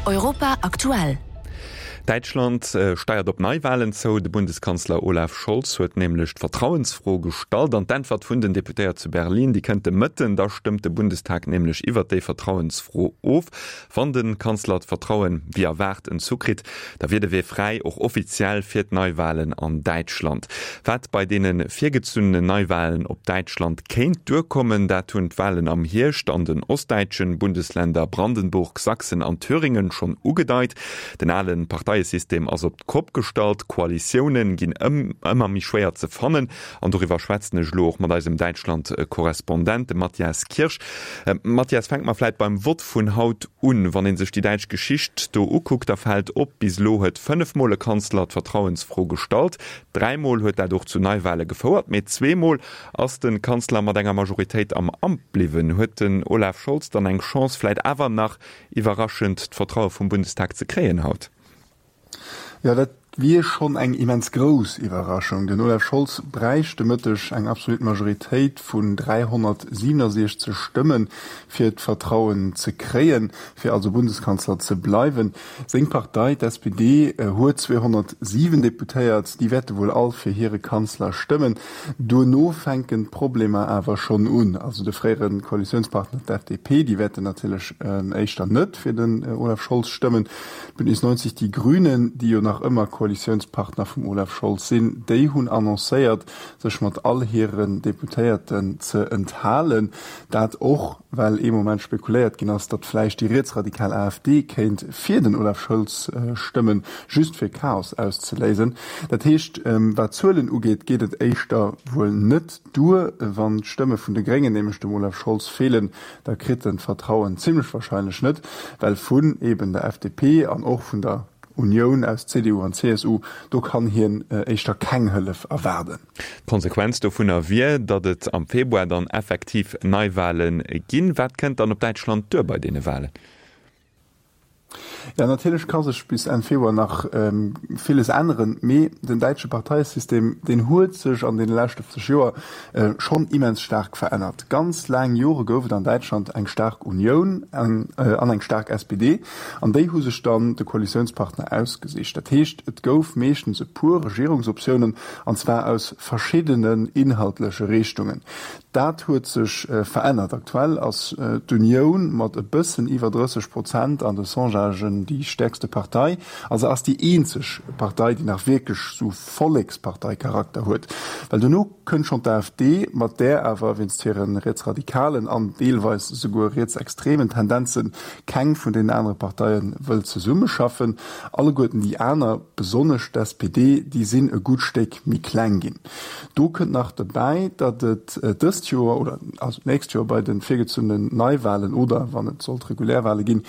Europa aktuell. Däitschland steiert op Neiwalen zou. De Bundeskanzler Olaf Scholz huet nämlech d'Vertrauensfro gestallt an d'Äntwert vun den Deputéiert zu Berlin, déi kënnt de Mëtten. Da stëmmt de Bundestag nämlech iwwert déi Vertrauensfro of. Wann de Kanzler d'Vertrauen, wéi erwaart, entzu kritt, da wier de Wee fräi, och offiziell, fir d'Neiwalen an Däitschland. Wat bei deene virgezunnenen Neiwalen op Däitschland kéint duerkommen, dat hunn d'Walen am Hierscht an den ostdäitschen Bundesländer Brandenburg, Sachsen an Thüringen schonn ugedeit. Den ale Parteiesystem ass op d'Kopp gestallt, Koalitioune ginn ëmmer méi schwéier ze fannen. An doriwwer schwätzen ech elo och mat eisem Däitschland-Korrespondent, dem Mathias Kirsch. Mathias, fänke mer vläit beim Vott vun haut un. Wann ee sech déi däitsch Geschicht do ukuckt, da fält op, bis elo huet fënnefmol e Kanzler d'Vertrauensfro gestallt. Dräimol huet dat och zu Neiwale gefouert, mee zweemol ass de Kanzler mat enger Majoritéit am Amt bliwwen. Huet den Olaf Scholz dann eng Chance, vläit awer nach iwwerraschend d'Vertraue vum Bundestag ze kréien haut? Jo, dat wier schonn eng immens grouss Iwwerraschung. Den Olaf Scholz bräicht de Mëtteg eng absolut Majoritéit vun 367 Stëmmen, fir d'Vertrauen ze kréien, fir also Bundeskanzler ze bleiwen. Seng Partei, d'SPD, huet 207 Deputéiert. Déi wäerte wuel all fir hire Kanzler stëmmen. Duerno fänken d'Problemer awer schonn un. Also de fréiere Koalitiounspartner, d'FDP, déi wäerten natierlech éischter net fir den Olaf Scholz stëmmen. D'Bündnis 90 Die Grünen, déi jo nach ëmmer Koalitiounspartner vum Olaf Scholz sinn, déi hunn annoncéiert, sech mat all hiren Deputéierten ze enthalen. Dat och, well ee Moment spekuléiert ginn ass, datt vläicht déi rietsradikal AfD kéint fir den Olaf Scholz stëmmen, just fir Chaos auszeléisen. Dat heescht, wat d'Zuelen ugeet, geet et éischter wuel net duer. Wann d'Stëmme vun de Gréngen nämlech dem Olaf Scholz feelen, da kritt en d'Vertrauen zimlech wahrscheinlech net, well vun eben der FDP an och vun der Unioun aus CDU an CSU, do kann hien éischter keng Hëllef erwaarden. D'Konsequenz dovunner wier, datt et am Februar dann effektiv Neiwale ginn. Wat kënnt dann op Däitschland duer bei deene Walen? Jo, natierlech ka sech bis Enn Februar nach villes änneren, mee den däitsche Parteiesystem, deen huet sech an deene leschte 50 Joer schonn immens staark verännert. Ganz laang Jore gouf et an Däitschland eng staark Unioun an eng staark SPD, an déi hu sech dann de Koalitiounspartner ausgesicht. Dat heescht, et gouf meeschtens e puer Regierungsoptiounen, an zwar aus verschiddenen inhaltleche Richtungen. Dat huet sech verännert. Aktuell ass d'Unioun mat e bëssen iwwer 30 Prozent an de Sondagen déi stäerkste Partei. A se ass déi eenzeg Partei, déi nach wierklech sou Vollekspartei-Charakter huet. Well dono kënnt schonn d'AfD, mat där awer wéinst hire rietsradikalen an deelweis esouguer rietsextremen Tendenze keng vun deenen anere Parteie wëll zesummeschaffen. Alleguerten déi aner, besonnesch d'SPD, déi sinn e gutt Stéck méi kleng ginn. Do kënnt nach dobäi, datt et dëst Joer oder also d'nächst Joer bei de virgezunnenen Neiwalen oder wann et sollt regulär Wale ginn,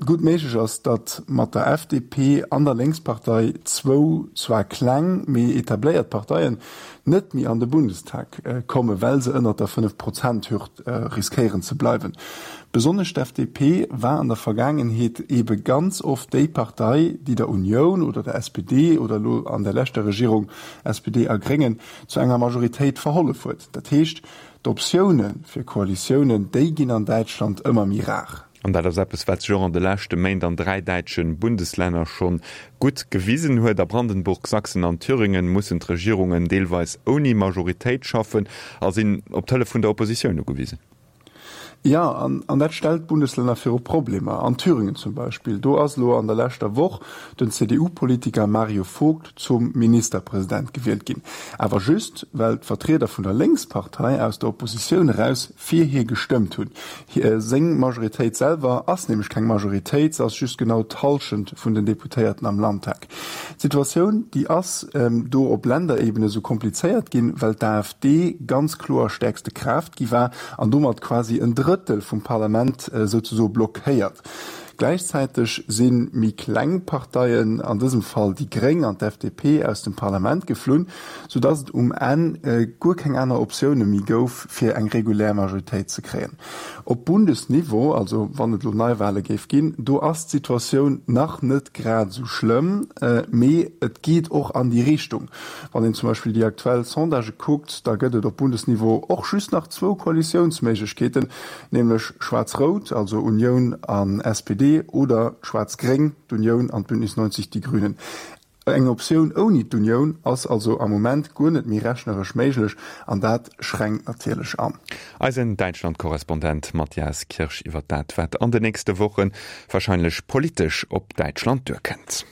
gutt méiglech ass, datt mat der FDP an der Lénkspartei zwou zwar kleng, mee etabléiert Parteien net méi an de Bundestag kommen, well se ënnert der Fënnef-Prozent-Hürd riskéieren ze bleiwen. Besonnesch d'FDP war an der Vergaangenheet eebe ganz oft déi Partei, déi der Unioun oder der SPD oder elo an der leschter Regierung SPD a Gréngen, zu enger Majoritéit verhollef huet. Dat heescht, d'Optioune fir Koalitiounen, déi ginn an Däitschland ëmmer méi rar. An dat ass eppes, wat sech och an de leschte Méint an 3 däitsche Bundeslänner scho gutt gewisen huet. A Brandenburg, Sachsen an Thüringen mussen d'Regierungen deelweis ouni Majoritéit schaffen a sinn op d'Hëllef vun der Oppositioun ugewisen. Jo, an dat stellt d'Bundeslänner viru Problemer. An Thüringen zum Beispill, do ass elo an der leschter Woch den CDU-Politiker Mario Vogt zum Ministerpresident gewielt ginn. Awer just, well d'Vertrieder vun der Lénkspartei aus der Oppositioun eraus fir hie gestëmmt hunn. Seng Majoritéit selwer ass nämlech keng Majoritéit, se ass just genau d'Hallschent vun den Deputéierten am Landtag. D'Situatioun, déi ass do op Länderebene sou komplizéiert ginn, well d'AfD ganz kloer stäerkste Kraaft gi war an domat quasi en Drëttel vum Parlament souzesoe blockéiert. Gläichzäiteg si méi kleng Parteien, an dësem Fall déi Gréng an d'FDP, aus dem Parlament geflunn, soudatt et um Enn guer keng aner Optioune méi gouf, fir eng regulär Majoritéit ze kréien. Op Bundesniveau, also wann et elo Neiwale géif ginn, do ass d'Situatioun nach net grad esou schlëmm, mee et geet och an déi Richtung. Wann een zum Beispill déi aktuell Sondagë kuckt, da gëtt et op Bundesniveau och just nach zwou Koalitiounsméiglechkeeten, nämlech Schwaarz-Rout, also Unioun an SPD. d'AfD oder d'Schwaarz-Gréng, d'Unioun an d'Bündnis 90 Die Grünen. Eng Optioun ouni d'Unioun ass also am Moment guer net méi rechneresch méiglech an dat schränkt natierlech an. Eisen Däitschland-Korrespondent Mathias Kirsch iwwer dat, wat an de nächste Woche warscheinlech politesch op Däitschland duerkënnt.